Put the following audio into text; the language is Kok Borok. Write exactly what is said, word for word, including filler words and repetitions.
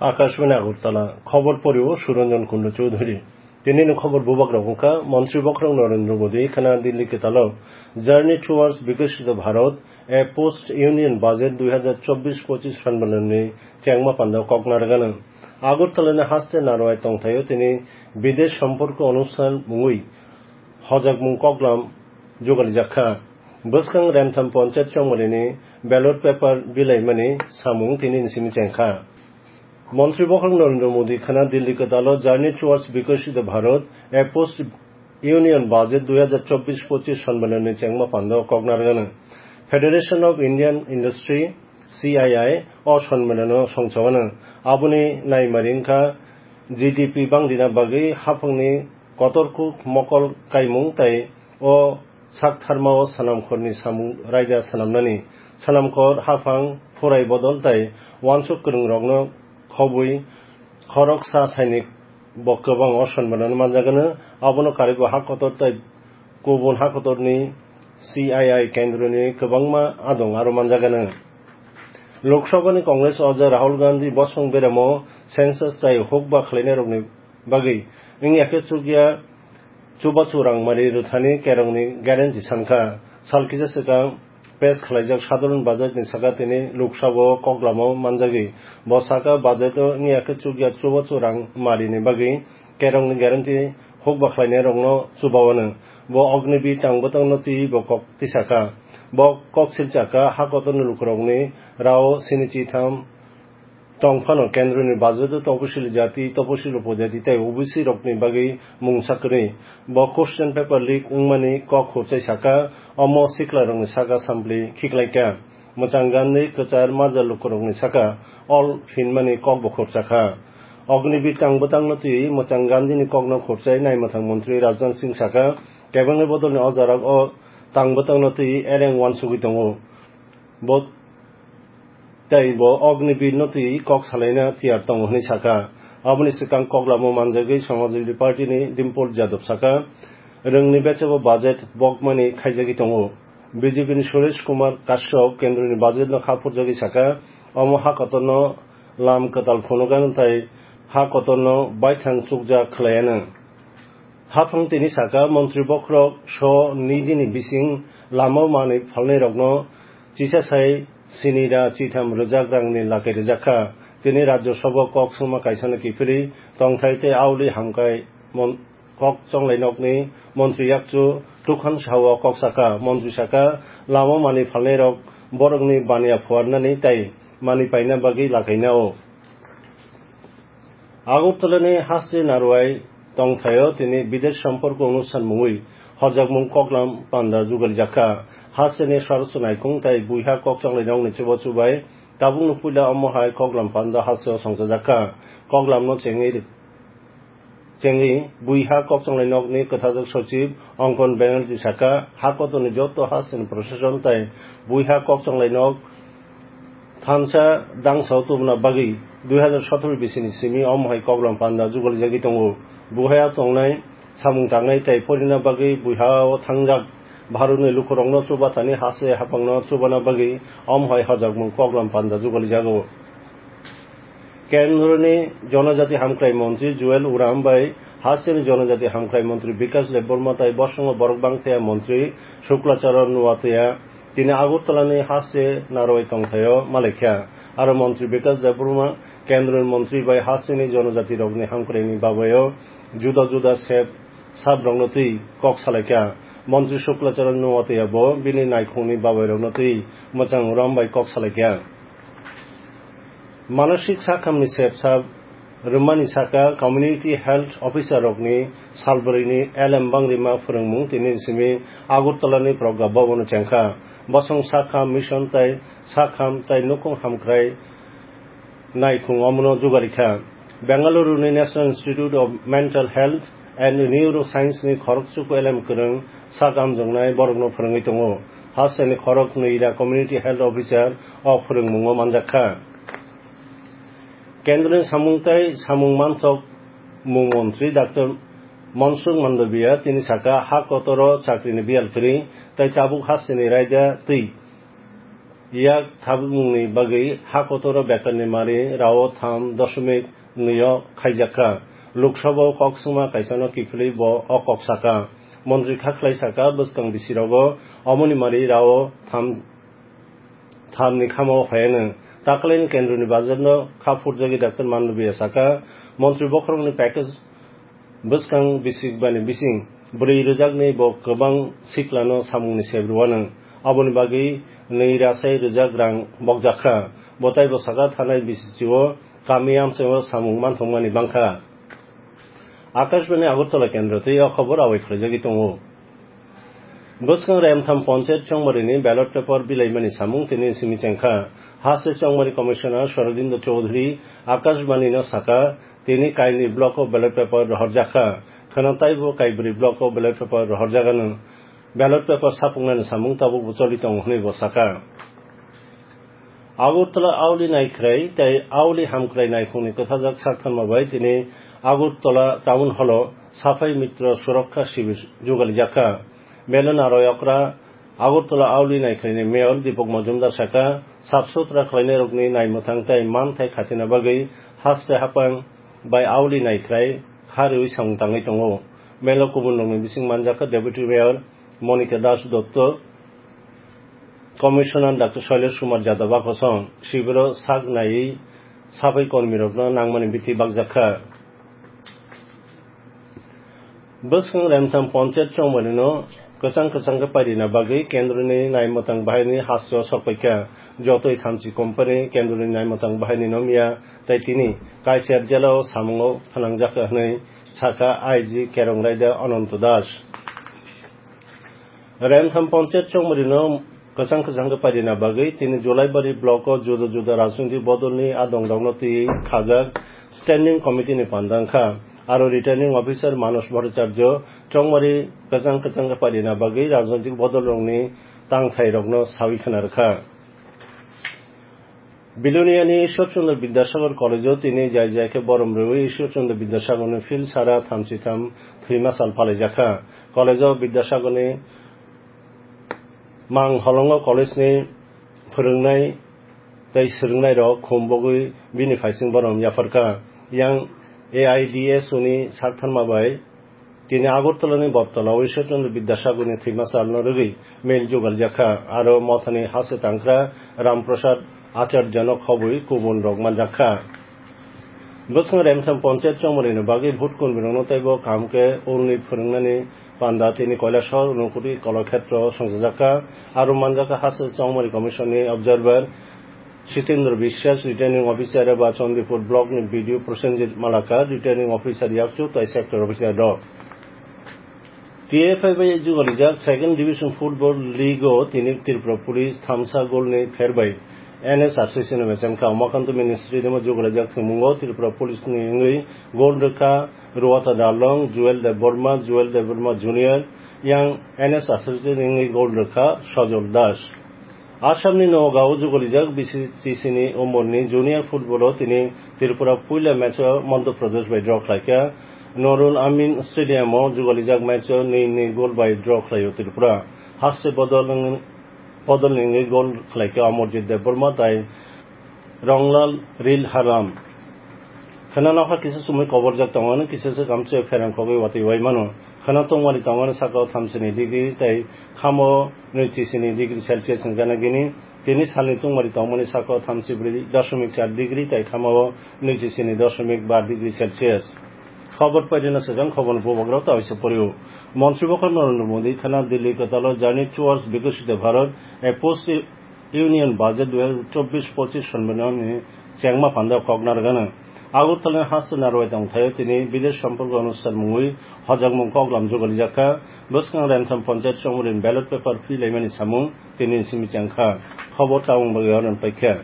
Akashbani Agartala, khobor porio Suranjan Kundu Chowdhury. Tinini khobor bubak rok wngkha, Montri Bokhorok Narendra Modi khana Delhi kwtalo Journey Towards Viksit Bharat, a Post Union Budget dui hazar chobbish pochish sanbalanni chengma panda kok narwgano. Agartalani haste narwai tongthaio tini Bidesh Somporko Onusthan mungwi hojakmung koklam jugalijak kha. Bwskang Remtham Panchayat Chongmarini ballot paper bilaimani samung tinini simi chengkha. Montri Bokhorok Narendra Modi khana Delhi kwtalo Journey Towards Viksit Bharat, a Post Union Budget dui hazar chobbish pochish sanbalanni chengma pando koknargano. Federation of Indian Industry, C I I, o sanbalano songchawano. Aboni naimari wngkha G D P bangdina bagwi haphangni kotorkuk mokol kaimung tei o saktharmao swnamkhorni samung raida swnamnani, swnamkhor, haphang, phurai bodol tei uansuk kwrwngrokno khobwi khoroksa sainik bo kwbang o sonmano manjagano, abono karwibo ha kotor tei kubun ha kotorni C I I kendroni kwbangma adong aro manjagano. Lok Sabhani Congress oja Rahul Gandhi bosong beramo census tei hukba khlainairokni bagwi wngya khe chukya chubachu rangmari rwthani kerongni guarantee sankha. Sal kisa swkang pass khwlaijak sadharan budget ni saka tini Lok Sabha o koklamo manjagwi. Bo saka budget o wngya khe chukya chubachu rangmari ni bagwi kerongni guarantee hukba khlainairokno chubawano. Bo Agniveer tang bwtangno twiwi bo kok tisakha. Bo kok silchakha ha kotorni lukurokni rao sini chitham tong phano kendroni budget o toposil jati, toposil upojati tei O B C rokni bagwi mungsa kwrwi. Bo question paper leak wngmani kok khurchai saka, omo siklarokni saka sampli khiklaikha. Mwchang Gandhi kwchar majra lukurokni saka ol phinmani kokbo khurchakha. Agniveer tang bwtangno twiwi Mwchang Gandhini kokno khurchai naimwthang montri Rajnath Singh saka, kebengni bodolni o jorao tang bwtangno twiwi ereng uansugwi tongo. Bo tei bo Agniveer no twi kok salaina tiyar tongo hwnwi sakha. Aboni swkang koklamo manjagwi Samajwadi Party ni Dimpol Jadab sakha, rwngni bechabo budget bokmani khaijagwi tongo. B J P ni Suresh Kumar Kashyap kendroni budget no kha phurjagwi sakha, omo ha kotorno lam kwtal phunukgano tei ha kotorno baithang chukjak khwlaiano. Haphang tini saka, montri bokhorok so nwi dini bising lama manwi phalnairokno chisa sai sini ra chitham rwjak rangni lakai rwjak kha. Tini Rajya Sabha kok swngma kaisano kiphilwi tongthai tei auli hamkai mon-, kok chonglai nokni montri yakchu Tukhan Sao kok sakha. Montri saka, lama manwi phalnairok borokni baniya phuarnani tei manwi paina bagwi lakaina o. Agartalani haste narwai tongthaio tini Bidesh Somporko Onusthan mungwi hojakmung koklam panda jugalijak kha. Hasteni saraswt naikhung tei buiha kokchonglai nokni chubachu bai tabukno puila omo hai koklam panda hasteo songchajak kha. Koklamno chengwi, chengwi buiha kokchonglai nokni kwthajak sochib Ankon Banerjee saka, ha kotorni joto hasteni proshashan tei buiha kokchonglai nok thansa dangsao tubuna bagwi dui hazar sotoro bisini simi omo hai koklam panda jugalijagwi tongo. Buhaya tongnai, samung tangnai tei porina bagwi buihao thangjak Bharatni lukurokno chubathani hase haphangno chubana bagwi omo hai hojakmung koklam panda jugalijago. Kendroni Jonojati Hamkrai Montri Jual Oram bai hasteni Jonojati Hamkrai Montri Bikash Debbarma tai bosongo borok bangthaya Montri Shukla Charan Noatia tini Agartalani haste narwai tongthaio malaikha. Aro Montri Bikash Debbarma Kendroni Montri bai hasteni Jonojatirokni hamkraini babaio juda juda sep sabrokno twi kok salaikha. Montri Shukla Charan Noatia bo bini naikhungni babairokno twi mwchang rom bai kok salaikha. Manasik sakhamni sepsa rwmani saka community health officer rokni salbrwini elem bangrima phwrwngmung tini simi Agartalani Pragya Bhavan o chengkha. Bosong sakham mission tai sakham tai nukhung hamkrai naikhung omono jugarikha. Bengaluru ni National Institute of Mental Health and Neuroscience ni khorokchuku elem kwrwng sak amjoknai borokno phwrwngwi tongo. Hasteni khorok nwi ra community health officer o phwrwngmungo manjak kha. Kendroni samung tai samung manthok mung montri Doctor Mansukh Mandaviya tini saka ha kotoro chakrini biyal kwrwi tai tabuk hasteni raida twi yak thabukmungni bagwi ha kotoro bekarni mari rao tham doshomik nwi o khaijakha. Lok Sabha o kok swngma kaisano kiphilwi bo o kok sakha. Montri kha khlai sakha, bwskang bisirogo omoni mari rao tham, thamni khamo phaiano. Taklaini kendroni bajarno kha phurjagwi Doctor Manlubia sakha, montri bokhorokni package bwskang bisik bani bising brwi rwjaknwi bo kwbang siklano samungni sep rwano. Aboni bagwi nwi rasai rwjak rang bokjakha. Bo taibo sakha, thanai bisichio kami amchaio samung manthokmani bangkha. Akashbani Agartala kendro tei o khobor awai khwlaijagwi tongo. Bwskang Remtham Ponchayat Chongmarini ballot paper bilaimani samung tini simi chengkha. Haste Chongmari Commissioner Sorojindo Chowdhury Akashbani no sakha, tini kaini block o ballot paper rohorjakha. Kheno taibo kaibrwi block o ballot paper rohorjagano. Ballot paper sapuknani samung tabukbo choli tongo hwnwi bo sakha. Agartala Auli Naikhrai tei Auli Hamkrai Naikhungni kwthajak saktharma bai tini Agartala Town Hall o Saphai Mitra Surakkha Shibir jugalijakha. Melo naroi okra Agartala Auli Naikhraini Mayor Deepak Majumdar sakha, sap sutra khlainairokni naimwthang tei manthai khatina bagwi haste hapang bai Auli Naikhrai kha rwui samung tangwi tongo. Melo kubunrokni bising manjakha Deputy Mayor Monika Das Dotto, Commissioner Doctor Shailesh Kumar Jadava kosong sibiro sak naiwi sabai kormirokno nangmani bithi bakjakha. Bwskang Remtham Ponchayat Chongmarino kwchang kwchang khe pairina bagwi kendroni naimwthang bahaini hasteo sokpaikha. Jotoi thamchi company kendroni naimwthang bahaini no miya tei tini Kaisar jelao samungo phnangjakha hwnwi sakha I G Kerong Raida Ananto Das. Remtham Ponchayat Chongmarino kwchang kwchang khe pairina bagwi tini Julaibari block o juda juda rajnitik bodolni adongrokno twi khajak standing committee ni panda wngkha. Aro returning officer Manos Bhattacharya Chongmari kwchang kwchang khe pairina bagwi rajnitik bodolrokni tangthairokno sawi khna rwkha. Biloniani Ishwar Chandra Vidyasagar College-o tini jai jai khe borom rwui Ishwar Chandra Vidyasagarni field sara thamchi tham thwima sal palaijakha. College-o Vidyasagarni mang holongo college-ni phwrwngnai tei swrwngnairok khum bogwi bini phaising borom yapharkha. Yang A I D S O ni saktharma bai Tini Agartala ni Boptala o Ishwar Chandra Vidyasagar ni thwima salno rwgwi mail jugaljakha, aro mothani hase tangkra Ram Prasad Acharya no khobwi kubun rok manjakha. Bwswng Remtham Ponchayat chongmani ni bagwi vote kunbirokno teibo kaham khe ulni phwrwngnani panda tini Kailasahar, Unakoti, Kalakhetra o songchajakha, aro manjakha hase chongmani commission ni observer Sitendra Biswas, Returning Officer eba Chandipur Block ni B D O Prosenjit Malakar, Returning Officer yakchu tai Sector Officer rok. T F I bai jugalijak Second Division Football League o tini Tripura Police thamsa goal ni pher bai N S R C C no mechangkha. Umakanto Mini Stadium o jugalijak thwngmungo Tripura Police ni wngwi goal rwkha Ruwata Darlong, Jewel Debbarma, Jewel Debbarma Junior, yang N S R C C ni wngwi goal rwkha Sajol Das. Assamni Nagaon o jugalijak B C C C ni umorni junior football o tini Tripura puila match o Madhya Pradesh bai draw khlaikha. Nurul Amin Stadium o jugalijak match o nwi nwi goal bai draw khlaio Tripura. Haste bodol wng-, bodol ni wngwi goal khlaikha Amarjit Debbarma tai Ronglal Rilharam. Khwna nokha kisa chumui koborjak tongo, ano kisa se kamchwlwi pherang khogwi watwi wai mano. Khwna tongmani tongo, ano saka o thamsini degree tei khamo nwichi sini degree Celsius wngkha na gini. Tini salni tongmani tongmani saka o thamsi bwrwi dashmik char degree tei khamo nwichi sini dashmik bar degree Celsius. Khobor paidina sajang khobor bubagra tawisa poriu. Montri bokhor Narendra Modi khwna Delhi kwtalo Journey Towards Viksit Bharat, a post Union Budget dui hazar chobbish pochish sonbinani chengma panda kok narwgano. Agartala ni haste narwai tongthaio tini Village Sampark Anushthan mungwi hojakmung koklam jugalijak kha. Bwskang Remtham Ponchayat chongmani ballot paper philaimani samung tini simi chengkha. Khobor tabuk bagwi oron paikha.